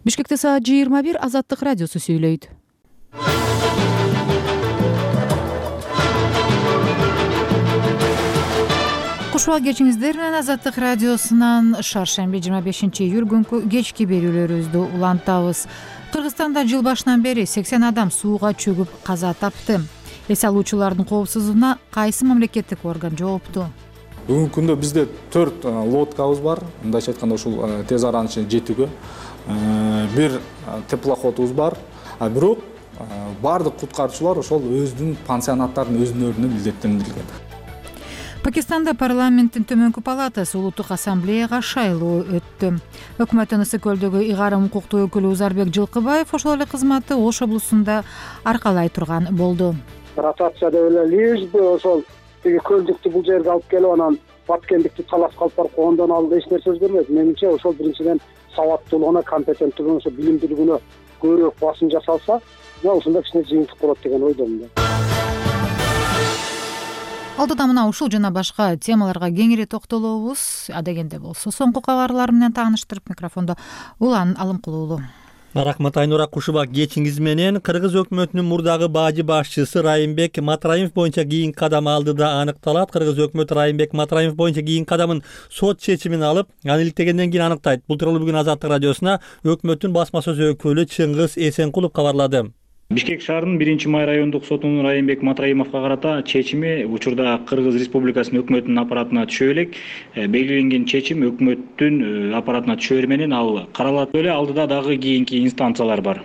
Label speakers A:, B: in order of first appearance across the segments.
A: Бишкекте саат 21 Азаттык радиосу сүйлөйт. Куш убак кечиңиздер менен Азаттык радиосунан шаршемби 25-июль күнкү кечки берүүлөрүбүздү улантабыз. Кыргызстанда жыл башынан бери 80 адам сууга чөгүп каза тапты. Эс алуучулардын коопсуздугуна кайсы мамлекеттик орган жоопту?
B: Бүгүнкү күндө бизде 4 лодкабыз бар. Мындайча айтканда ушул тез аранын ичине жетүүгө. Бир теплоходубуз бар. Бирок бардык куткаруучулар ошол өзүнүн пансионаттарын өзүнө милдеттендирилген.
A: Пакистанда парламенттин төмөнкү палатасы улуттук ассамблеяга шайлоо өттү. Өкмөттүн Ысык көлдөгү ыйгарым укуктуу өкүлү Узарбек Жылкыбаев ошол эле кызматты Ош облусунда аркалай турган болду.
C: Ротация деп эле лишби ошол тиги көлдүктү бул жерге алып келип анан баткендикти талап калып барып ондан алды эч нерсе өзгөрбөйт. Менимче ошол биринчиден сабаттуулугуна, компетенттүүлүгүнө, ошо билимдүүлүгүнө көбүрөөк басым жасалса, ушунда кичине жыйынтык болот деген ойдомун.
A: Алдыда мына ушул жана башка темаларга кеңири токтолобуз. Адегенде болсо соңку кабарлар менен тааныштырып микрофондо Улан Алымкулуу уулу.
D: Рахмат Айнура, куш убак кечиңиз менен. Кыргыз өкмөтүнүн мурдагы бажы башчысы Райымбек Матраимов боюнча кийинки кадам алдыда аныкталат. Кыргыз өкмөтү Райымбек Матраимов боюнча кийинки кадамын сот чечимин алып, аны иликтегенден кийин аныктайт. Бул тууралуу бүгүн Азаттык радиосуна өкмөттүн басма сөз өкүлү Чыңгыз Эсенкулов кабарлады.
E: Бишкек шаарынын 1-май райондук сотунун Райымбек Матраимовго карата чечими учурда Кыргыз Республикасынын өкмөтүнүн аппаратына түшө элек. Белгиленген чечим өкмөттүн аппаратына түшөр менен ал каралат эле, алдыда дагы кийинки инстанциялар бар.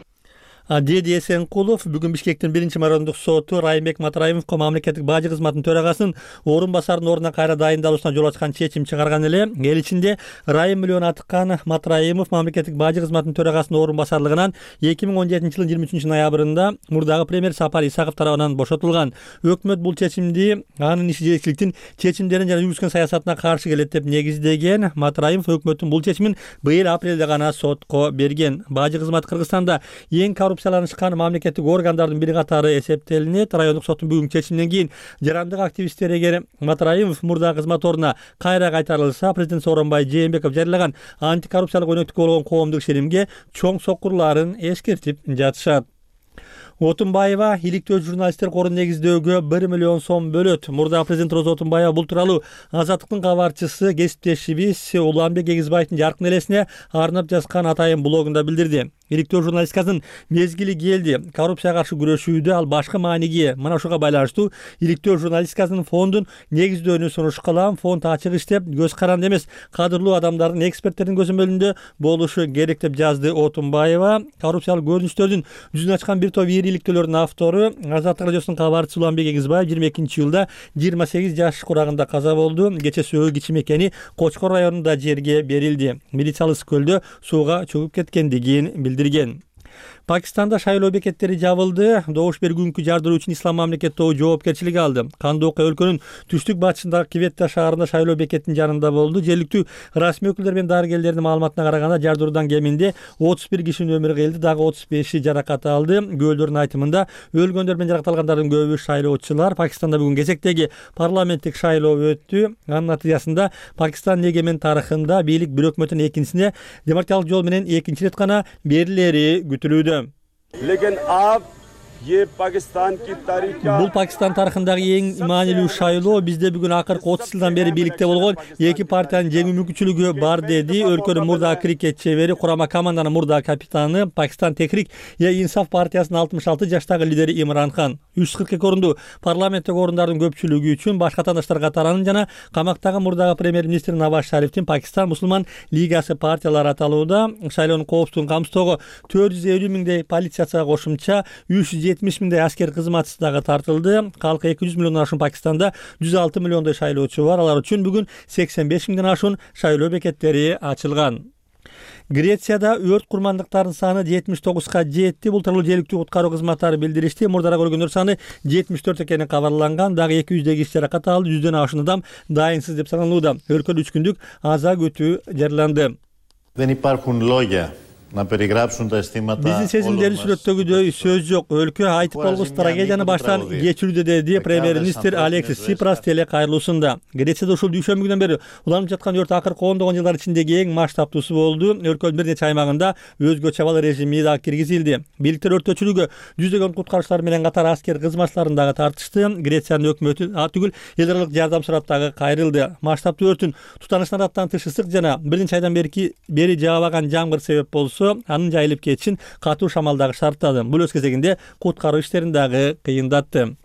D: Деди Эсенкулов бүгүн Бишкектин 1-май райондук соту Райымбек Матраимовго мамлекеттик бажы кызматынын төрагасынын орун басарынын ордуна кайра дайындалуусуна жол ачкан чечим чыгарган эле. Эл ичинде Райым миллион атыккан Матраимов мамлекеттик бажы кызматынын төрагасынын орун басарлыгынан 2017 жылдын 23 ноябрында мурдагы премьер Сапар Исаков тарабынан бошотулган. Өкмөт бул чечимди анын иши жетекчиликтин чечимдерин жана жүргүзгөн саясатына каршы келет деп негиздеген. Матраимов өкмөттүн бул чечимин быйыл апрелде гана сотко берген. Бажы кызматы Кыргызстанда эң коррупцияланышкан мамлекеттик органдардын бири катары эсептелинет. Райондук соттун бүгүнкү чечиминен кийин жарандык активисттер эгер Матраимов мурда кызмат ордуна кайра кайтарылса, президент Сооронбай Жээнбеков жарыялаган антикоррупциялык өнөктүккө болгон коомдук ишенимге чоң сокурларын эскертип жатышат. Отунбаева иликтөө журналисттер корун негиздөөгө 1 миллион сом бөлөт. Мурда президент Роза Отунбаева бул тууралуу Азаттыктын кабарчысы кесиптешибиз Уланбек Эгизбаевдин жаркын элесине арнап жазган атайын блогунда билдирди. Иликтөө журналистикасынын мезгили келди. Коррупцияга каршы күрөшүүдө ал башкы мааниге. Мына ушуга байланыштуу иликтөө журналистикасынын фондун негиздөөүнү сунуш кылам. Фонд ачык иштеп, көз каранды эмес, кадырлуу адамдардын, эксперттердин көзөмөлүндө болушу керек деп жазды Отунбаева. Коррупциялык көрүнүштөрдүн жүзүн ачкан бир топ иликтөөлөрдүн автору Азаттык радиосунун кабарчысы Уланбек Эгизбаев 22-жылда 28 жаш курагында каза болду. Кече сөөк ичи мекени Кочкор районунда жерге берилди. Милициялык Ысык көлдө сууга чөгүп кеткендигин билдирген. Пакистанда шайлоо бекеттери жабылды. Добуш бергүнкү жардыруу үчүн Ислам мамлекет тобу жоопкерчилик алды. Кандуу окуя өлкөнүн түштүк батышындагы Кветта шаарында шайлоо бекеттин жанында болду. Жергиликтүү расмий өкүлдөр менен дарыгерлердин маалыматына караганда жардыруудан кеминде 31 кишинин өмүрү кыйылды, дагы 35 жаракат алды. Күбөлдөрдүн айтымында өлгөндөр менен жаракатталгандардын көбү шайлоочулар. Пакистанда бүгүн кезектеги парламенттик шайлоо өттү. Анын натыйжасында Пакистандын эгемен тарыхында бийлик бир өкмөттүн экинчисине демократиялык жол менен экинчи рет гана берилери күтүлүүдө. Бул Пакистан тарыхындагы эң маанилүү шайлоо. Бизде бүгүн акыркы 30 жылдан бери бийликте болгон эки партиянын жеңүү мүмкүнчүлүгү бар, деди өлкөнүн мурдагы крикет чебери, курама команданын мурдагы капитаны, Пакистан Техрик Инсаф партиясынын 66 жаштагы лидери Имран Хан. 342 орунду парламенттик орундардын көпчүлүгү үчүн башка катандаштар катаранын жана камактагы мурдагы премьер-министр Наваз Шарифтин Пакистан Мусулман лигасы партиялары аталууда. Шайлоонун коопсуздугун камсыздоого 450 миңдей полицияга кошумча 370 миңдей аскер кызматчысы дагы тартылды. Калкы 200 миллиондон ашуун Пакистанда 106 миллиондой шайлоочу бар. Алар үчүн бүгүн 85 миңден ашуун шайлоо бекеттери ачылган. Грецияда өрт курмандыктарынын саны 79га жетти. Бул тууралуу жергиликтүү куткаруу кызматтары билдиришти. Мурдараак өлгөндөр саны 74 экени кабарланган. Дагы 200 киши жаракат алды. 100дөн ашуун адам дайынсыз деп саналууда. Өлкөдө 3 күндүк аза күтүү жарыяланды.
F: на переграбшунда стимата.
D: Биздин сезимдерди сүрөттөгүдөй сөз жок. Өлкө айтып болгус трагедияны баштан кечирүүдө, деди премьер-министр Алексис Сипрас теле кайрылуусунда. Грецияда ушул дүйшөмбү күнүнөн бери уланып жаткан өрт акыркы ондогон жылдар ичиндеги эң масштабтуусу болду. Өлкөнүн бир нече аймагында өзгөчө абал режими да киргизилди. Бийликтер өрттөчүлүгү жүздөгөн куткаруучулар менен катар аскер кызматчыларын дагы тартышты. Грециянын өкмөтү түгүл эл аралык жардам сурап дагы кайрылды. Масштабтуу өрттүн тутанышынан аттан тыш ысык жана бир нече айдан бери жаабаган жамгыр себеп болсо, анын жайылып кетишин катуу шамал дагы шарттады. Бул өз кезегинде куткаруу иштерин дагы кыйындатты.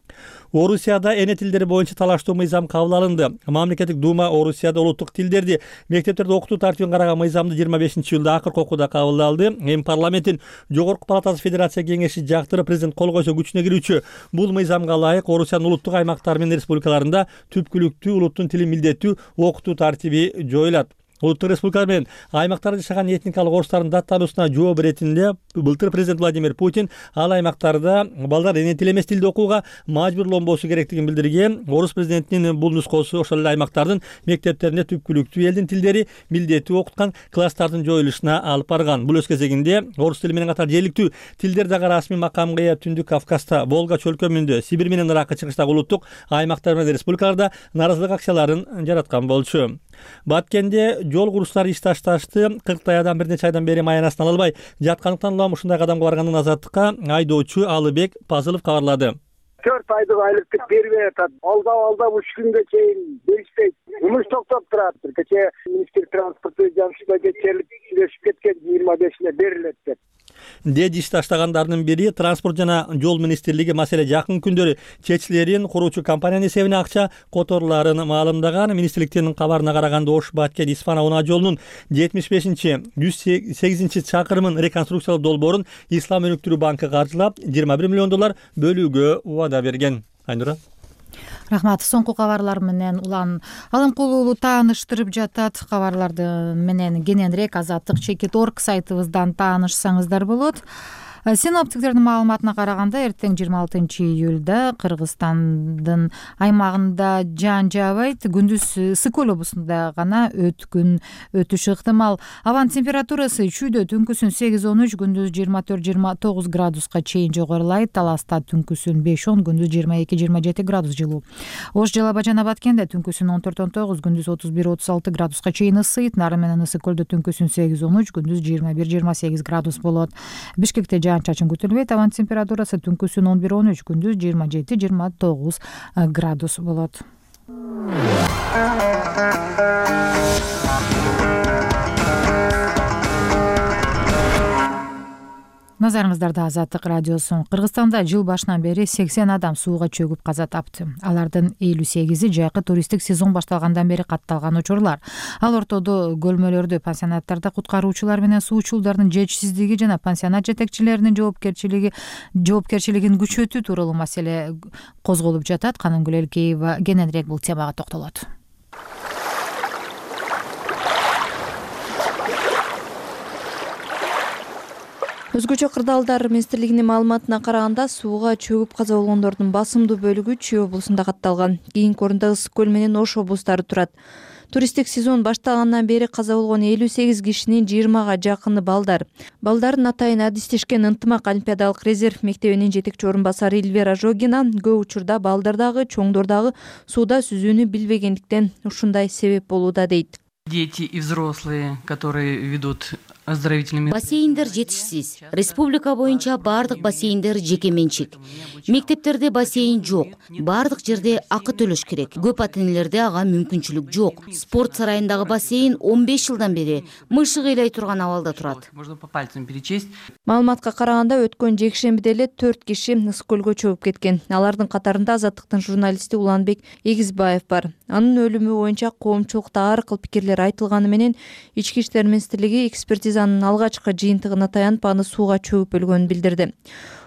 D: Орусияда эне тилдери боюнча талаштуу мыйзам кабыл алынды. Мамлекеттик дума Орусияда улуттук тилдерди мектептерде окутуу тартибин караган мыйзамды 25-июлда акыркы окууда кабыл алды. Эми парламенттин жогорку палатасы Федерация кеңеши жактырып президент кол койсо күчүнө кирүүчү бул мыйзамга ылайык Орусиянын улуттук аймактары менен республикаларында түпкүлүктүү улуттун тилин милдеттүү окутуу тартиби жоюлат. Улуттук республикалар менен аймактарда жашаган этникалык орустардын даттануусуна жооп иретинде былтыр президент Владимир Путин ал аймактарда балдар эне тил эмес тилде окууга мажбурланбосу керектигин билдирген. Орус президентинин бул нускосу ошол эле аймактардын мектептеринде түпкүлүктүү элдин тилдери милдеттүү окуткан класстардын жоюлушуна алып барган. Бул өз кезегинде орус тили менен катар жергиликтүү тилдер дагы расмий макамга ээ Түндүк Кавказда, Волга чөлкөмүндө, Сибирь менен Ыракка чыгыштагы улуттук аймактар менен республикаларда нааразылык акцияларын жараткан болчу. Баткенде жол курушчулар иш ташташты. 40 адам бир нече айдан бери маянасын ала албай жаткандыктан улам ушундай кадамга баргандын азаттыкка айдоочу Алыбек Пазылов кабарлады.
C: 4 айдык айлыктык бербей атат. Алдап 3 күнгө чейин беришпейт. Жумуш токтоп турат. Кечээ министр транспорту жамшыда кечерип сүйлөшүп кеткен 25-ине берилет деп.
D: Деди иш таштагандардын бири транспорт жана жол министрлиги маселе жакын күндөрү чечилерин куруучу компаниянын эсебине акча которуларын маалымдаган. Министрликтин кабарына караганда Ош Баткен Исфана унаа жолунун 75-108 чакырымын реконструкциялоо долбоорун Ислам өнүктүрүү банкы каржылап $21 миллион бөлүүгө убада берген. Айнура.
A: Рахмат. Соңку кабарлар менен Улан Алымкулуу тааныштырып жатат. Кабарларды менен кененирээк Азаттык Чекит.org сайтыбыздан таанышсаңыздар болот. Синоптиктердин маалыматына караганда эртең 26-июлда Кыргызстандын аймагында жаан жаабайт. Күндүз Ысык Көл облусунда гана өткүн өтүшү ыктымал. Абанын температурасы чүйдө түнкүсүн 8-13, күндүз 24-29 градуска чейин жогорулайт. Таласта түнкүсүн 5-10, күндүз 22-27 градус жылуу. Ош Жалал Абад жана Баткенде түнкүсүн 14-19, күндүз 31-36 градуска чейин ысыйт. Нары менен Ысык Көлдө түнкүсүн 8-13, күндүз 21-28 градус болот. Бишкекте чачын күтүлбөйт. Абанын температурасы түнкүсүн 11-13, күндүз 27-29 градус болот. Назарыңыздарда Азаттык радиосу. Кыргызстанда жыл башынан бери 80 адам сууга чөгүп каза тапты. Алардын 58-и жайкы туристтик сезон башталгандан бери катталган учурлар. Ал ортодо көлмөлөрдө, пансионаттарда куткаруучулар менен суучулдардын жетишсиздиги жана пансионат жетекчилеринин жоопкерчилигин күчөтүү тууралуу маселе козголуп жатат. Канымгүл Элкеева кененирээк бул темага токтолот.
G: Өзгөчө кырдаалдар министрлигинин маалыматына караганда сууга чөгүп каза болгондордун басымдуу бөлүгү Чүй облусунда катталган. Кийинки орунда Ысык Көл менен Ош облустары турат. Туристтик сезон башталгандан бери каза болгон 58 кишинин 20га жакыны балдар. Балдардын атайын адистешкен Ынтымак олимпиадалык резерв мектебинин жетекчи орун басары Эльвира Жогина көп учурда балдар дагы, чоңдор дагы сууда сүзүүнү билбегендиктен ушундай себеп болууда дейт.
H: Дети и взрослые, которые ведут оздоровительными.
I: Бассейндер жетишсиз. Республика боюнча бардык бассейндер жеке менчик. Мектептерде бассейн жок. Бардык жерде акы төлөш керек. Көп ата-энелерде ага мүмкүнчүлүк жок. Спорт сарайындагы бассейн 15 жылдан бери мышык ыйлай турган абалда турат.
H: Можно по пальцам перечесть.
G: Маалыматка караганда өткөн жекшембиде эле 4 киши Ысык Көлгө чөгүп кеткен. Алардын катарында Азаттыктын журналисти Уланбек Эгизбаев бар. Анын өлүмү боюнча коомчулукта ар кыл пикирлер айтылганы менен Ички иштер министрлиги экспертизанын алгачкы жыйынтыгына таянып аны сууга чөгүп өлгөнүн билдирди.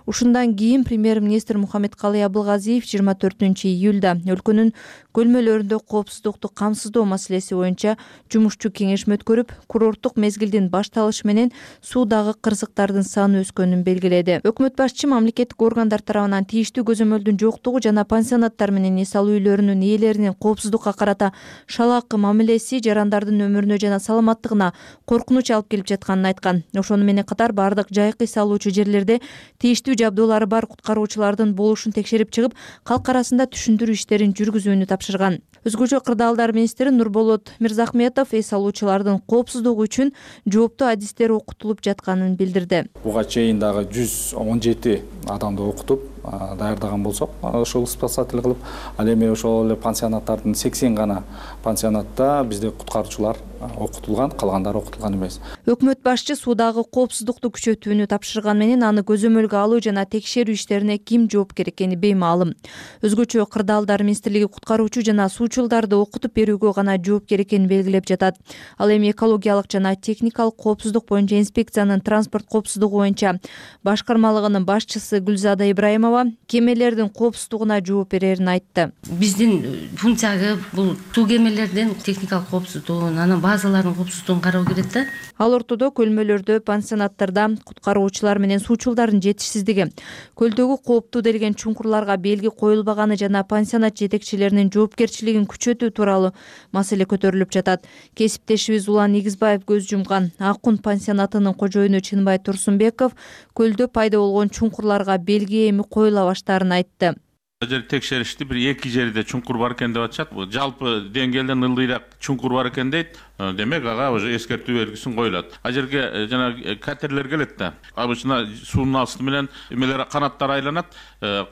G: Ушундан кийин премьер-министр Мухаммедкалый Абылгазиев 24-июлда өлкөнүн көлмөлөрүндө коопсуздукту камсыздоо маселеси боюнча жумушчу кеңешме өткөрүп, курорттук мезгилдин башталышы менен суудагы кырсыктардын саны өскөнүн белгиледи. Өкмөт башчы мамлекеттик органдар тарабынан тийиштүү көзөмөлдүн жоктугу жана пансионаттар менен эс алуу үйлөрүнүн ээлеринин коопсуздукка карата шалаакы мамилеси жарандардын өмүрүнө жана саламаттыгына коркунуч алып келип жатканын айткан. Ошону менен катар бардык жайкы эс алуучу жерлерде тийиштүү жабдуулары бар куткаруучулардын болушун текшерип чыгып, калк арасында түшүндүрүү иштерин жүргүзүүнү тапшырган. Өзгөчө кырдаалдар министри Нурболот Мирзахметов эс алуучулардын коопсуздугу үчүн жооптуу адистер окутулуп жатканын билдирди.
B: Буга чейин дагы 117 адамды окутуп даярдаган болсок, ошол спасатель кылып, ал эми ошол эле пансионаттардын 80 гана пансионатта бизде куткаруучулар окутулган, калгандары окутулган эмес.
G: Өкмөт башчы суудагы коопсуздукту күчөтүүнү тапшырган менен аны көзөмөлгө алуу жана текшерүү иштерине ким жоопкер экени беймаалым. Өзгөчө кырдаалдар министрлиги куткаруучу жана суучулдарды окутуп берүүгө гана жоопкер экенин белгилеп жатат. Ал эми экологиялык жана техникалык коопсуздук боюнча инспекциянын транспорт коопсуздугу боюнча башкармалыгынын башчысы Гүлзада Ибраимова кемелердин коопсуздугуна жооп берерин айтты.
F: Биздин функцияга бул суу кемелердин техникалык коопсуздугун, анан базалардын коопсуздугун кароо керек да.
G: Ал ортодо көлмөлөрдө, пансионаттарда куткаруучулар менен суучулдардын жетишсиздиги, көлдөгү кооптуу делген чуңкурларга белги коюлбаганы жана пансионат жетекчилеринин жоопкерчилигин күчөтүү тууралуу маселе көтөрүлүп жатат. Кесиптешибиз Улан Игизбаев көз жумган Акун пансионатынын кожоюну Чынбай Турсунбеков көлдө пайда болгон чуңкурларга белги эми коюла баштаарын айтты.
J: Жер текшеришти бир 2 жерде чуңкур бар экен деп атышат. Жалпы деңгээлден ылдыйраак чуңкур бар экен дейт. Демек ага уже эскертүү белгисин коюлат. А жерге жана катерлер келет да. Обычно суунун асты менен эмелер канаттар айланат,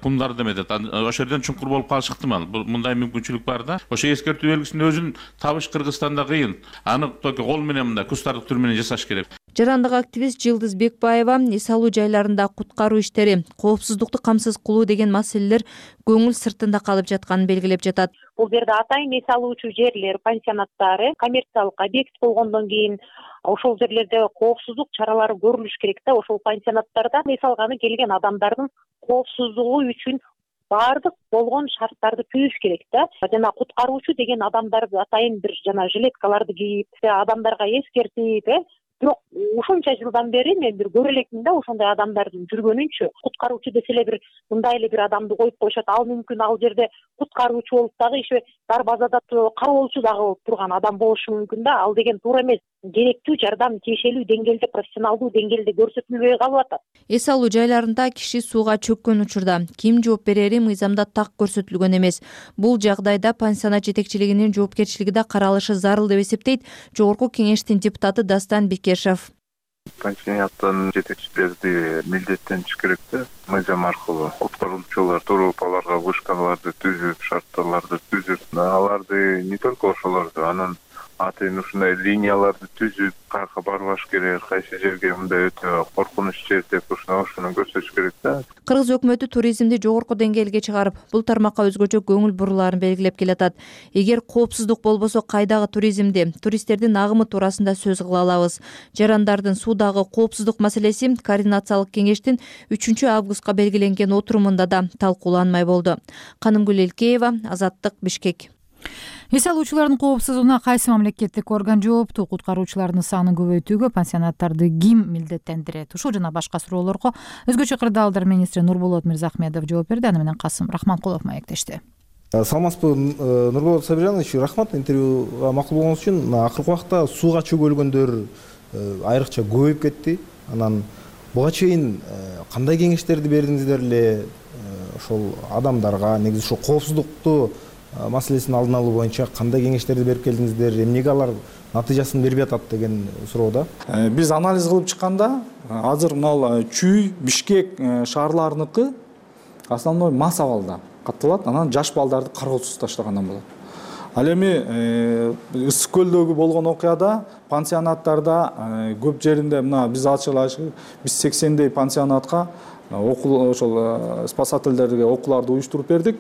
J: кумдар деметет. Ошол жерден чуңкур болуп калышы ыктымал. Мындай мүмкүнчүлүк бар да. Ошо эскертүү белгисин өзүн табыш Кыргызстанда кыйын. Аны только кол менен мындай кустардык түр менен жасаш керек.
G: Жарандык активист Жылдыз Бекбаева эс алуу жайларында куткаруу иштери, коопсуздукту камсыз кылуу деген маселелер көңүл сыртында калып жатканын белгилеп жатат.
K: Бул жерде атайын эс алуучу жерлер, пансионаттары коммерциялык объект болгондон кийин ошол жерлерде коопсуздук чаралары көрүлүш керек да. Ошол пансионаттарда эс алганы келген адамдардын коопсуздугу үчүн баардык болгон шарттарды түзүш керек да. Жана куткаруучу деген адамдарды атайын бир жана жилеткаларды кийип, адамдарга эскертип, бирок ушунча жылдан бери мен бир көрө элекмин да ошондой адамдардын жүргөнүнчү. Куткаруучу десе эле бир мындай эле бир адамды коюп коюшат. Ал мүмкүн ал жерде куткаруучу болуп дагы иши дарбазада кароолчу дагы болуп турган адам болушу мүмкүн да. Ал деген туура эмес. Керектүү жардам тиешелүү деңгээлде, профессионалдуу деңгээлде көрсөтүлбөй калып атат.
G: Эс алуу жайларында киши сууга чөккөн учурда ким жооп берери мыйзамда так көрсөтүлгөн эмес. Бул жагдайда пансионат жетекчилигинин жоопкерчилиги да каралышы зарыл деп эсептейт Жогорку кеңештин депутаты Дастан Бекешев.
L: Пансионаттын жетекчилери милдеттениш керек да, мыйзам аркылуу. Куткаруучулар туруп аларга вышкаларды түзүп, шарттарды түзүп, аларды не только ошолорду, анан атайын ушундай линияларды түзүп, каяка барбаш керек, кайсы жерге мындай өтө коркунуч жер деп ошону көрсөтүш керек да.
G: Кыргыз өкмөтү туризмди жогорку деңгээлге чыгарып, бул тармакка өзгөчө көңүл бурулаарын белгилеп келатат. Эгер коопсуздук болбосо кайдагы туризмди, туристтердин агымы туурасында сөз кыла алабыз. Жарандардын суудагы коопсуздук маселеси координациялык кеңештин 3-августка белгиленген отурумунда да талкууланмай болду. Канымгүл Элкеева, Азаттык, Бишкек.
A: Эс алуучулардын коопсуздугуна кайсы мамлекеттик орган жооптуу? Куткаруучулардын санын көбөйтүүгө пансионаттарды ким милдеттендирет? Ушул жана башка суроолорго өзгөчө кырдаалдар министри Нурболот Мирзахметов жооп берди. Аны менен Касым Рахманкулов маектешти.
M: Саламатсызбы, Нурболот Сабиржанович, рахмат интервьюга макул болгоңуз үчүн. Акыркы убакта сууга чөгөлгөндөр айрыкча көбөйүп кетти. Анан буга чейин кандай кеңештерди бердиңиздер эле ошол адамдарга, негизи ошол коопсуздукту маселесин алдын алуу боюнча кандай кеңештерди берип келдиңиздер, эмнеге алар натыйжасын бербей атат деген суроо да.
B: Биз анализ кылып чыкканда азыр мына Чүй, Бишкек шаарларыныкы основной масс абалда катталат, анан жаш балдарды кароосуз таштагандан болот. Ал эми Ысык көлдөгү болгон окуяда пансионаттарда көп жеринде мына биз ачык биз 80дей пансионатка ошол спасательдерге окууларды уюштуруп бердик.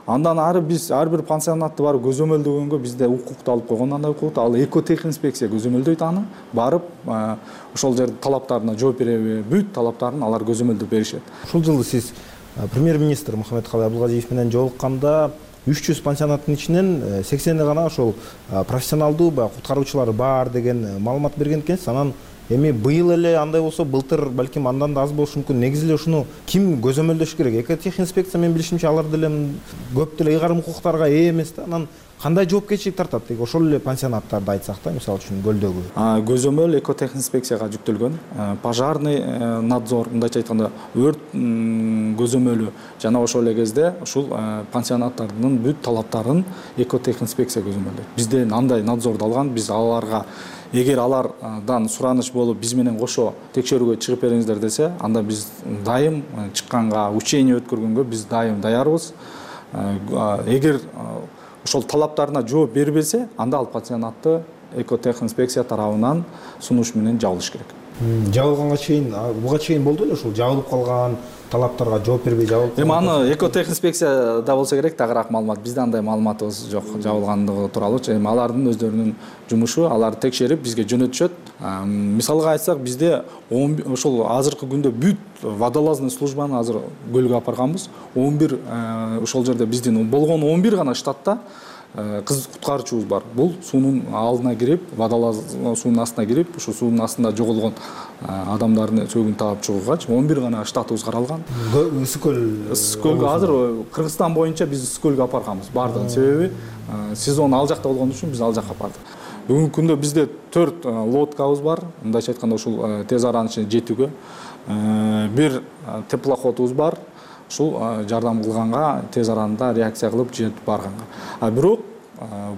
B: Андан ары биз ар бир пансионатты барып көзөмөлдөгөнгө бизде укукту алып койгон. Андай укукту ал экотехинспекция көзөмөлдөйт, аны барып ошол жердин талаптарына жооп береби, бүт талаптарын алар көзөмөлдөп беришет.
M: Ушул жылы сиз премьер-министр Мухаммедкалый Абылгазиев менен жолукканда 300 пансионаттын ичинен 80 гана ошол профессионалдуу баягы куткаруучулары бар деген маалымат берген экенсиз. Анан эми быйыл эле андай болсо, былтыр балким андан да аз болушу мүмкүн. Негизи эле ушуну ким көзөмөлдөш керек? Экотехинспекция менин билишимче алар деле көп деле ыйгарым укуктарга ээ эмес да. Анан кандай жоопкерчилик тартат? Деги ошол эле пансионаттарды айтсак да, мисалы үчүн көлдөгү.
B: Көзөмөл экотехинспекцияга жүктөлгөн. Пожарный надзор, мындайча айтканда өрт көзөмөлү жана ошол эле кезде ушул пансионаттардын бүт талаптарын экотехинспекция көзөмөлдөйт. Бизден андай надзорду алган, биз аларга эгер алардан сураныч болуп биз менен кошо текшерүүгө чыгып бериңиздер десе, анда биз дайым чыкканга, учение өткөргөнгө биз дайым даярбыз. Эгер ошол талаптарына жооп бербесе, анда ал пансионатты экотехинспекция тарабынан сунуш менен жабылыш керек.
M: Жабылганга чейин, буга чейин болду эле ушул жабылып калган, талаптарга жооп бербей жабылып калган.
B: Эми аны экотехинспекцияда болсо керек, тагыраак маалымат. Бизде андай маалыматыбыз жок жабылгандыгы тууралуу. Эми алардын өздөрүнүн жумушу, аларды текшерип бизге жөнөтүшөт. Мисалга айтсак, бизде ошол азыркы күндө бүт водолазный службаны азыр көлгө алып барганбыз. 11 ошол жерде биздин болгон 11 гана штатта кыз куткаруучубуз бар. Бул суунун алдына кирип, водолаз суунун астына кирип, ошо суунун астында жоголгон адамдардын сөөгүн таап чыгууга 11 гана штатыбыз каралган.
M: Ысык
B: көлгө азыр Кыргызстан боюнча биз Ысык көлгө алып барганбыз. Бардыгын себеби сезон ал жакта болгон үчүн биз ал жакка бардык. Бүгүнкү күндө бизде 4 лодкабыз бар. Мындайча айтканда ушул тез аранын ичине жетүүгө. Бир теплоходубуз бар. Ушул жардам кылганга, тез аранда реакция кылып жетип барганга. Бирок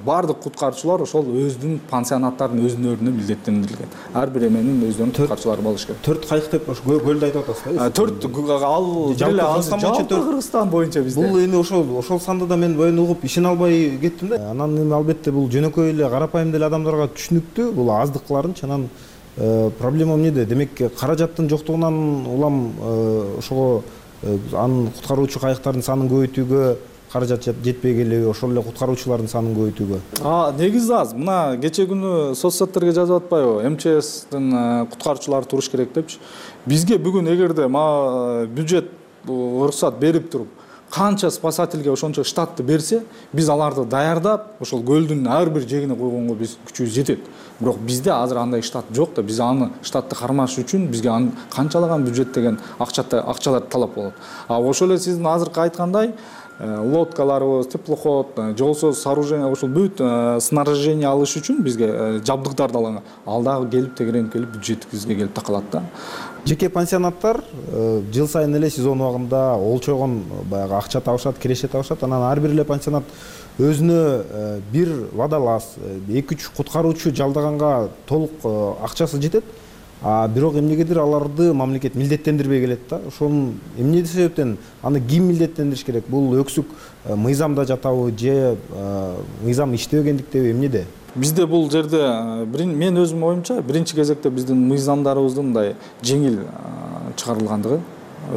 B: бардык куткаруучулар ошол өздүн пансионаттардын өзүнө милдеттендирилген. Ар бир эменин өздөрүнүн куткаруучулары болуш керек.
M: 4 кайык деп ошо көлдү айтып атасызбы?
B: 4 ал жалпы Кыргызстан боюнча бизде.
M: Бул эми ошол санды да мен боюн угуп ишене албай кеттим да. Анан эми албетте бул жөнөкөй эле карапайым деле адамдарга түшүнүктүү. Бул аздык кыларынчы. Анан проблема эмнеде? Демек каражаттын жоктугунан улам ошого анын куткаруучу кайыктардын санын көбөйтүүгө каражат жетпей келеби, ошол эле куткаруучулардын санын көбөйтүүгө?
B: Негизи аз. Мына кече күнү соц сеттерге жазып атпайбы? МЧСтин куткаруучулары туруш керек депчи. Бизге бүгүн эгерде бюджет уруксат берип туруп, канча спасательге ошончо штатты берсе, биз аларды даярдап, ошол көлдүн ар бир жегине койгонго биз күчүбүз жетет. Бирок бизде азыр андай штат жок да, биз аны штатты кармаш үчүн бизге канчалаган бюджет деген акчалар талап болот. Ошол эле сиздин азыркы айткандай лодкаларыбыз, теплоход, же болбосо сооружение, ошол бүт снаряжение алыш үчүн бизге жабдыктарды алган. Ал дагы келип тегеренип келип бюджетибизге келип такалат да.
M: Жеке пансионаттар жыл сайын эле сезон убагында олчогон баягы акча табышат, киреше табышат. Анан ар бир эле пансионат өзүнө бир водолаз, 2-3 куткаруучу жалдаганга толук акчасы жетет. Бирок эмнегедир аларды мамлекет милдеттендирбей келет да. Ошонун эмне себептен аны ким милдеттендириш керек? Бул өксүк мыйзамда жатабы же мыйзам иштебегендиктеби, эмнеде?
B: Бизде бул жерде мен өзүм оюмча биринчи кезекте биздин мыйзамдарыбыздын мындай жеңил чыгарылгандыгы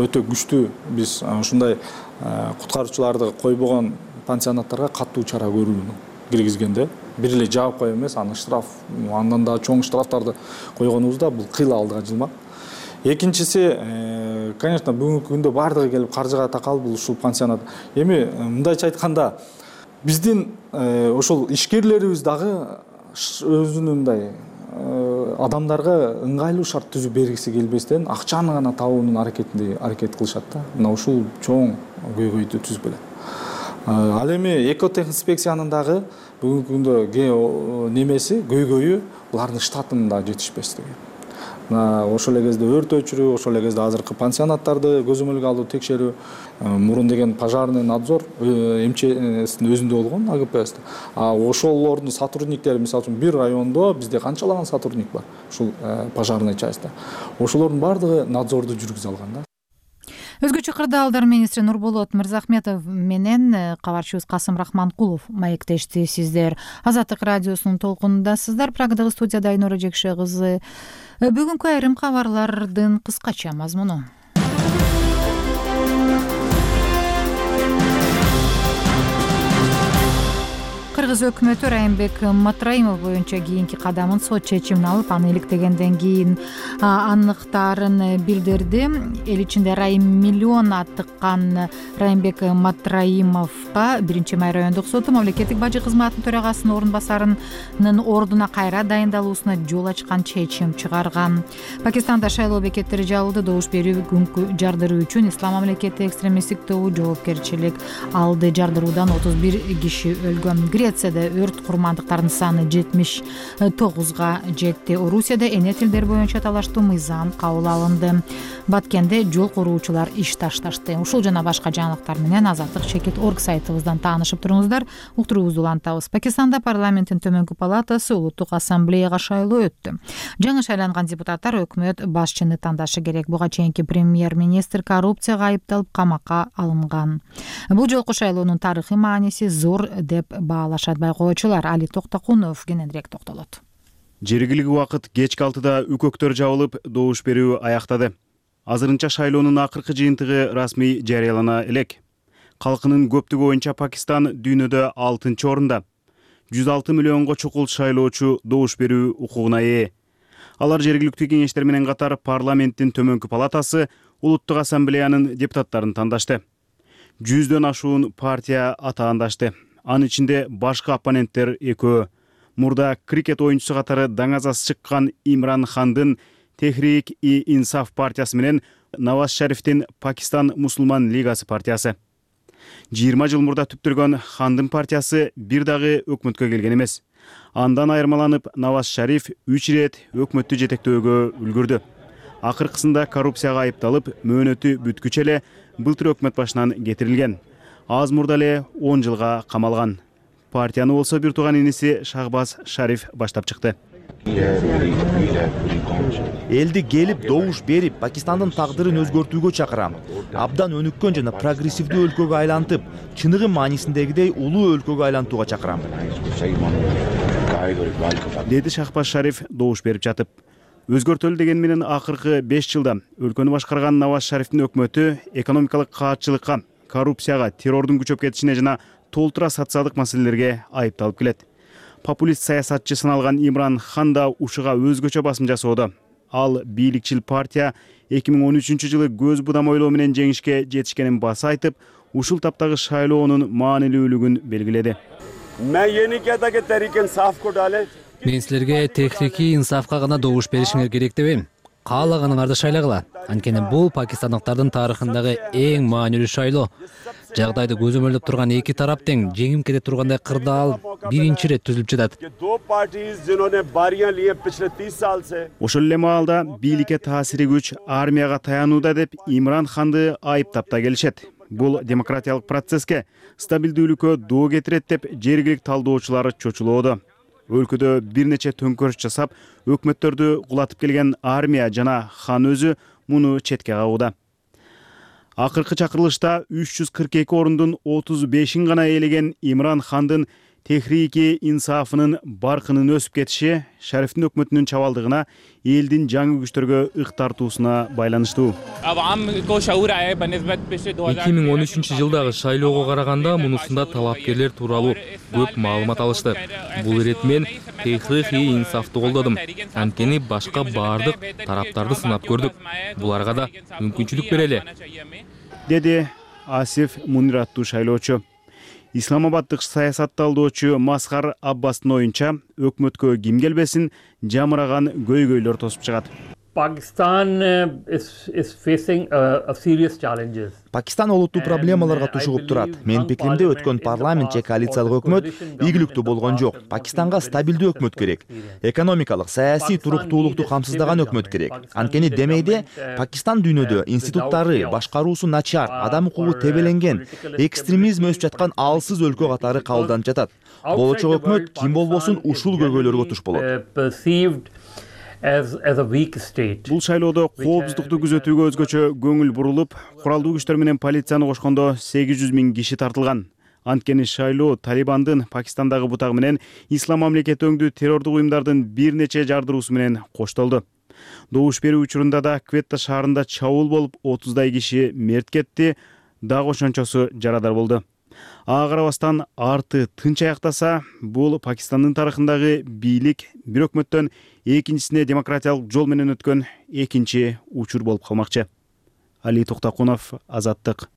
B: өтө күчтүү. Биз ушундай куткаруучуларды койбогон пансионаттарга катуу чара көрүүнү киргизгенде бир эле жаап коюп эмес, аны штраф, андан да чоң штрафтарды койгонубузда бул кыйла алдыга жылмак. Экинчиси, конечно, бүгүнкү күндө бардыгы келип каржыга такал бул ушул пансионат. Эми мындайча айтканда, биздин ошол ишкерлерибиз дагы өзүнүн мындай адамдарга ыңгайлуу шарт түзүп бергиси келбестен акчаны гана табуунун аракет кылышат да. Мына ушул чоң көйгөйдү түзүп келет. Ал эми экотехинспекциянын дагы бүгүнкү күндө немеси, көйгөйү булардын штатынын да жетишпестиги. Ошол эле кезде өрт өчүрүү, ошол эле кезде азыркы пансионаттарды көзөмөлгө алуу, текшерүү, мурун деген пожарный надзор МЧСтин өзүндө болгон, АГПСте. Ошолордун сотрудниктери, мисалы үчүн бир райондо бизде канчалаган сотрудник бар, ушул пожарный частьта. Ошолордун бардыгы надзорду жүргүзө алган да.
A: Өзгөчө кырдаалдар министри Нурболот Мырзахметов менен кабарчыбыз Касым Рахманкулов маектешти. Сиздер Азаттык радиосунун толкунундасыздар. Прагадагы студияда Айнура Жекше кызы. Бүгүнкү айрым кабарлардын кыскача мазмуну. Кыргыз өкмөтү Райымбек Матраимов боюнча кийинки кадамын сот чечимин алып, аны иликтегенден кийин аныктаарын билдирди. Эл ичинде Райым миллион аттыккан Райымбек Матраимовго 1-май райондук соту мамлекеттик бажы кызматынын төрагасынын орун басарынын ордуна кайра дайындалуусуна жол ачкан чечим чыгарган. Пакистанда шайлоо бекеттери жабылды. Добуш берүү күнгү жардыруу үчүн Ислам мамлекети экстремисттик тобу жоопкерчилик алды. Жардыруудан 31 киши өлгөн. Грецияда өрт курмандыктардын саны 79га жетти. Орусияда эне тилдер боюнча талаштуу мыйзам кабыл алынды. Баткенде жол куруучулар иш ташташты. Ушул жана башка жаңылыктар менен Азаттык Чекит орг сайтыбыздан таанышып туруңуздар. Уктуруубузду улантабыз. Пакистанда парламенттин төмөнкү палатасы улуттук ассамблеяга шайлоо өттү. Жаңы шайланган депутаттар өкмөт башчыны тандашы керек. Буга чейинки премьер-министр коррупцияга айыпталып камакка алынган. Бул жолку шайлоонун тарыхый мааниси зор деп баалашат байкоочулар. Али Токтокунов кененирээк токтолот.
N: Жергиликтүү убакыт кечки 6-да үкөктөр жабылып, добуш берүү аяктады. Азырынча шайлоонун акыркы жыйынтыгы расмий жарыялана элек. Калкынын көптүгү боюнча Пакистан дүйнөдө 6-орунда. 106 миллионго чукул шайлоочу добуш берүү укугуна ээ. Алар жергиликтүү кеңештер менен катар парламенттин төмөнкү палатасы, улуттук ассамблеянын депутаттарын тандашты. 100дөн ашуун партия атаандашты. Анын ичинде башкы оппоненттер экөө. Мурда крикет оюнчусу катары даңазасы чыккан Имран Хандын Техрик-и-Инсаф партиясы менен Наваз Шарифтин Пакистан мусулман лигасы партиясы. 20 жыл мурда түптүргөн Хандын партиясы бир дагы өкмөткө келген эмес. Андан айырмаланып, Наваз Шариф 3 ирет өкмөттү жетектөөгө үлгүрдү. Акыркысында коррупцияга айыпталып, мөөнөтү бүткүчө эле былтыр өкмөт башынан кетирилген. Аз мурда эле 10 жылга камалган. Партияны болсо бир тууган иниси Шахбаз Шариф баштап чыкты.
O: Элди келип добуш берип, Пакистандын тагдырын өзгөртүүгө чакырам. Абдан өнүккөн жана прогрессивдүү өлкөгө айлантып, чыныгы маанисиндегидей улуу өлкөгө айлантууга чакырам.
N: Деди Шахбаз Шариф добуш берип жатып. Өзгөртөлү деген менен акыркы 5 жылда өлкөнү башкарган Наваз Шарифтин өкмөтү экономикалык каатчылыкка, коррупцияга, террордун күчөп кетишине жана толтура социалдык маселелерге айыпталып келет. Популист саясатчы саналган Имран Хан да ушуга өзгөчө басым жасоодо. Ал бийликчил партия 2013 жылы көз будамойлоо менен жеңишке жетишкенин баса айтып, ушул таптагы шайлоонун маанилүүлүгүн белгиледи.
P: Мен силерге Техрик-и-Инсафка гана добуш беришиңер керек дебейм. Каалаганыңарды шайлагыла. Анткени бул пакистандыктардын тарыхындагы эң маанилүү шайлоо. Жагдайды көзөмөлдөп турган эки тарап тең жеңим кете тургандай кырдаал биринчи ирет түзүлүп жатат.
N: Ошол эле маалда бийликке таасири күч армияга таянууда деп Имран Ханды айыптап да келишет. Бул демократиялык процесске стабилдүүлүккө доо кетирет деп жергиликтүү талдоочулар чочулоодо. Өлкөдө бир нече төңкөрүш жасап, өкмөттөрдү кулатып келген армия жана Хан өзү муну четке кагууда. Акыркы чакырылышта 342 орундун 35-ин гана ээлеген Имран Хандын Техрик-и-Инсафынын баркынын өсүп кетиши Шарифтин өкмөтүнүн чабалдыгына, элдин жаңы күчтөргө ык тартуусуна байланыштуу.
P: 2013 жылдагы шайлоого караганда мунусунда талапкерлер тууралуу көп маалымат алышты. Бул ирет мен Техрик-и-Инсафты колдодум. Анткени башка баардык тараптарды сынап көрдүк. Буларга да мүмкүнчүлүк берели.
N: Деди Асиф Мунир аттуу шайлоочу. Исламабаддык саясат талдоочу Масхар Аббастын оюнча, өкмөткө ким келбесин жамыраган көйгөйлөр тосуп чыгат.
O: Пакистан олуттуу проблемаларга тушугуп турат. Менин пикиримде өткөн парламент же коалициялык өкмөт ийгиликтүү болгон жок. Пакистанга стабилдүү өкмөт керек. Экономикалык, саясий туруктуулукту камсыздаган өкмөт керек. Анткени демейде Пакистан дүйнөдө институттары, башкаруусу начар, адам укугу тебеленген, экстремизм өсүп жаткан алсыз өлкө катары кабылданып жатат. Болочок өкмөт ким болбосун ушул көйгөйлөргө туш болот.
N: бул шайлоодо коопсуздукту күзөтүүгө өзгөчө көңүл бурулуп, куралдуу күчтөр менен полицияны кошкондо 800 000 киши тартылган. Анткени шайлоо Талибандын Пакистандагы бутагы менен ислам мамлекети өңдүү террордук уюмдардын бир нече жардыруусу менен коштолду. Добуш берүү учурунда да Кветта шаарында чабуул болуп, 30дай киши мерт кетти, дагы ошончосу жарадар болду. Ага карабастан арты тынч аяктаса, бул Пакистандын тарыхындагы бийлик бир өкмөттөн экинчисине демократиялык жол менен өткөн экинчи учур болуп калмакчы. Али Токтакунов, Азаттык.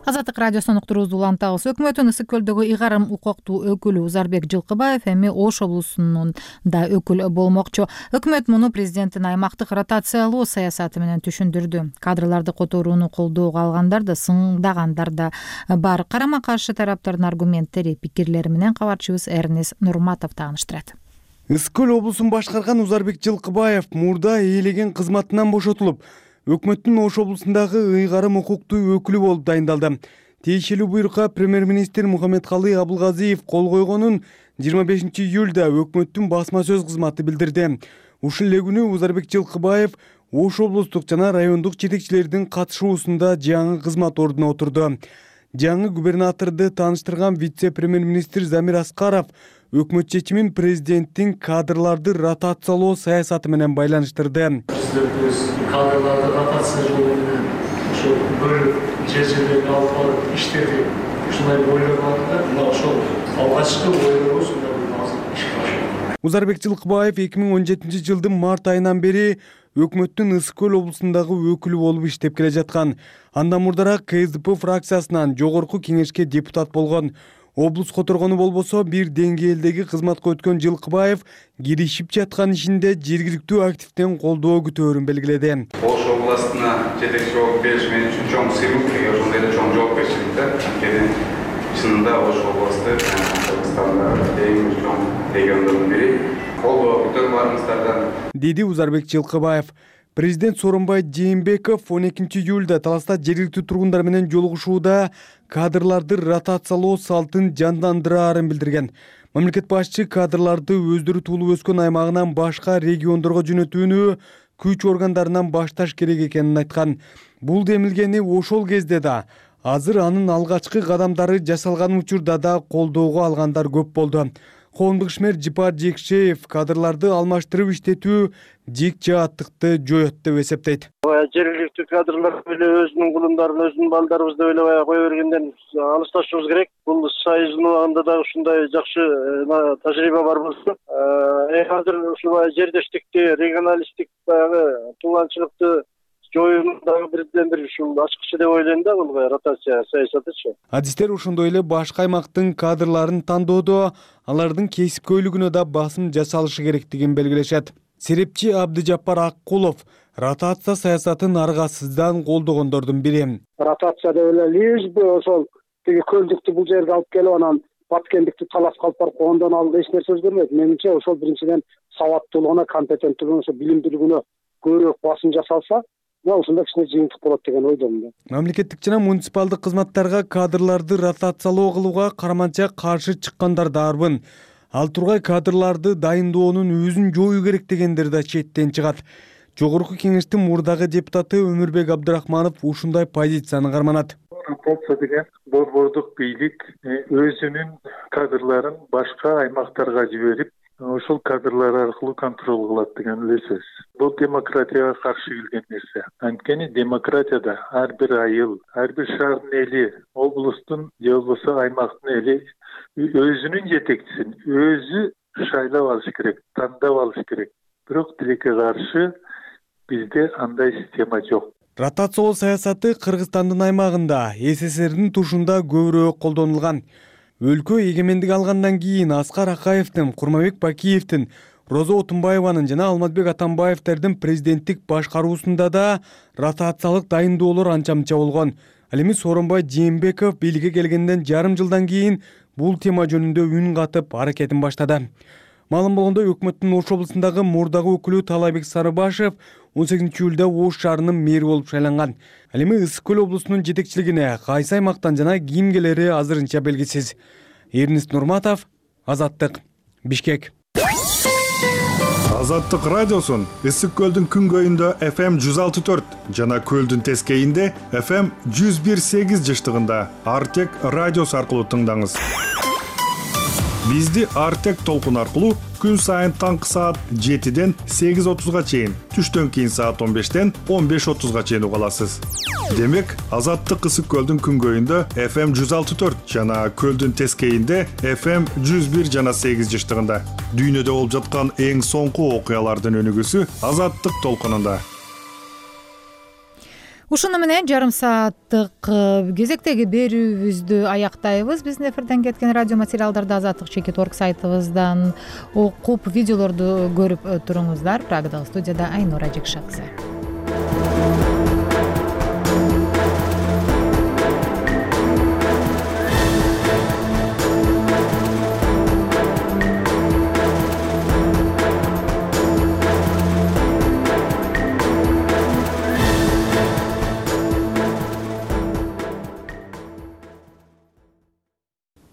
A: Азаттык радиосунун уктуруубузду улантабыз. Өкмөттүн Ысык көлдөгү ыйгарым укуктуу өкүлү Узарбек Жылкыбаев эми Ош облусунун да өкүл болмокчу. Өкмөт муну президенттин аймактык ротациялоо саясаты менен түшүндүрдү. Кадрларды которууну колдоого алгандар да, сыңдагандар да бар. Карама каршы тараптардын аргументтери, пикирлери менен кабарчыбыз Эрнес Нурматов тааныштырат.
Q: Ысык көл облусун башкарган Узарбек Жылкыбаев мурда ээлеген кызматынан бошотулуп, өкмөттүн Ош облусундагы ыйгарым укуктуу өкүлү болуп дайындалды. Тиешелүү буйрукка премьер-министр Мухаммедкалый Абылгазиев кол койгонун 25 июлда өкмөттүн басма сөз кызматы билдирди. Ушул эле күнү Узарбек Жылкыбаев Ош облустук жана райондук жетекчилердин катышуусунда жаңы кызмат ордуна отурду. Жаңы губернаторду тааныштырган вице-премьер-министр Замир Аскаров өкмөт чечимин президенттин кадрларды ротациялоо саясаты менен байланыштырды.
R: Кадрларды ротациялоо менен ошо бөлүп жер-жерлерге алып барып иштеди. Ушундай ойлор бар да, мына ошол алгачкы ойлорубуз азыр ишке ашты.
Q: Узарбек Жылкыбаев 2017 жылдын март айынан бери өкмөттүн Ысык көл облусундагы өкүлү болуп иштеп келе жаткан. Андан мурдараак КСДП фракциясынан жогорку кеңешке депутат болгон. Облус которгону болбосо бир деңгээлдеги кызматка өткөн Жылкыбаев киришип жаткан ишинде жергиликтүү активден колдоо күтөөрүн белгиледи.
S: Ош областына жетекчи болуп келиш мен үчүн чоң сыйлык, ошондой эле чоң жоопкерчилик да. Анткени чынында Ош областы Кыргызстандагы эң чоң региондордун бири. Колдоо күтөрүп барыңыздардан,
Q: деди Узарбек Жылкыбаев. Президент Сооронбай Жээнбеков 12 июлда Таласта жергиликтүү тургундар менен жолугушууда кадрларды ротациялоо салтын жандандыраарын билдирген. Мамлекет башчы кадрларды өздөрү туулуп өскөн аймагынан башка региондорго жөнөтүүнү күч органдарынан башташ керек экенин айткан. Бул демилгени ошол кезде да, азыр анын алгачкы кадамдары жасалган учурда да колдоого алгандар көп болду. Коомдук ишмер Жипар Жекшеев кадрларды алмаштырып иштетүү жек жааттыкты жоет деп эсептейт.
T: Жергиликтүү кадрлар эле өзүнүн кулундарын, өзүнүн балдарыбызды ойлобой кое бергенден алысташыбыз керек. Бул союздун убагында да ушундай жакшы тажрыйба бар болчу. Азыр ушул жердештикти, регионалисттик баягы тууланчылыкты жоюунун дагы бирден бир ушул ачкычы деп ойлойм да, бул ротация саясатычы.
Q: Адистер ошондой эле башка аймактын кадрларын тандоодо алардын кесипкөйлүгүнө да басым жасалышы керектигин белгилешет. Серепчи Абдыжаппар Аккулов ротация саясатын аргасыздан колдогондордун бири.
C: Ротация деп эле лишь бы ошол тиги көлдүктү бул жерге алып келип анан баткендикти талап калып барып койгондон алды эч нерсе өзгөрмөйт. Менимче ошол биринчиден сабаттуулугуна, компетенттүүлүгүнө, ошо билим билигине көбүрөөк басым жасалса, ушундай кичине жыйынтык болот деген ойдомун.
Q: Мамлекеттик жана муниципалдык кызматтарга кадрларды ротациялоо кылууга карманча каршы чыккандар да арбын. Ал тургай кадрларды дайындоонун өзүн жоюу керек дегендер да четтен чыгат. Жогорку кеңештин мурдагы депутаты Өмүрбек Абдырахманов ушундай позицияны карманат.
U: Ротация деген борбордук бийлик өзүнүн кадрларын башка аймактарга жиберип, ошол кадрлар аркылуу контроль кылат деген эле сөз. Бул демократияга каршы келген нерсе. Анткени демократияда ар бир айыл, ар бир шаардын эли, облустун же болбосо аймактын эли өзүнүн жетекчисин өзү шайлап алыш керек, тандап алыш керек. Бирок тилекке каршы бизде андай система жок.
Q: Ротациялоо саясаты Кыргызстандын аймагында, СССРдин тушунда көбүрөөк колдонулган. Өлкө эгемендик алгандан кийин Аскар Акаевдин, Курмабек Бакиевдин, Розо Отунбаеванын жана Алмазбек Атамбаевдердин президенттик башкаруусунда да ротациялык дайындоолор анча-мынча болгон. Ал эми Сооронбай Жээнбеков бийликке келгенден жарым жылдан кийин бул тема жөнүндө үн катып аракетин баштады. Маалым болгондой, өкмөттүн Ош облусундагы мурдагы өкүлү Талайбек Сарыбашев 18 июлда Ош шаарынын мэри болуп шайланган. Ал эми Ысык көл облусунун жетекчилигине кайсы аймактан жана ким келери азырынча белгисиз. Эрнест Нурматов, Азаттык, Бишкек.
E: Азаттык радиосун Ысык көлдүн күнгөйүндө FM 106.4 жана көлдүн тескейинде FM 101.8 жыштыгында Артек радиосу аркылуу тыңдаңыз. Бизди Артек толкун аркылуу күн сайын таңкы саат 7ден 8:30га чейин, түштөн кийин саат 15ден 15:30га чейин уга аласыз. Демек, Азаттык Ысык көлдүн күнгөйүндө FM 106.4 жана көлдүн тескейинде FM 101 жана 8 жыштыгында. Дүйнөдө болуп жаткан эң соңку окуялардын өнүгүүсү Азаттык толкунунда.
A: Ушуну менен жарым сааттык кезектеги берүүбүздү аяктайбыз. Биздин эфирден кеткен радио материалдарды Азаттык.org сайтыбыздан окуп, видеолорду көрүп туруңуздар. Прагадагы студияда Айнура Жекшакызы.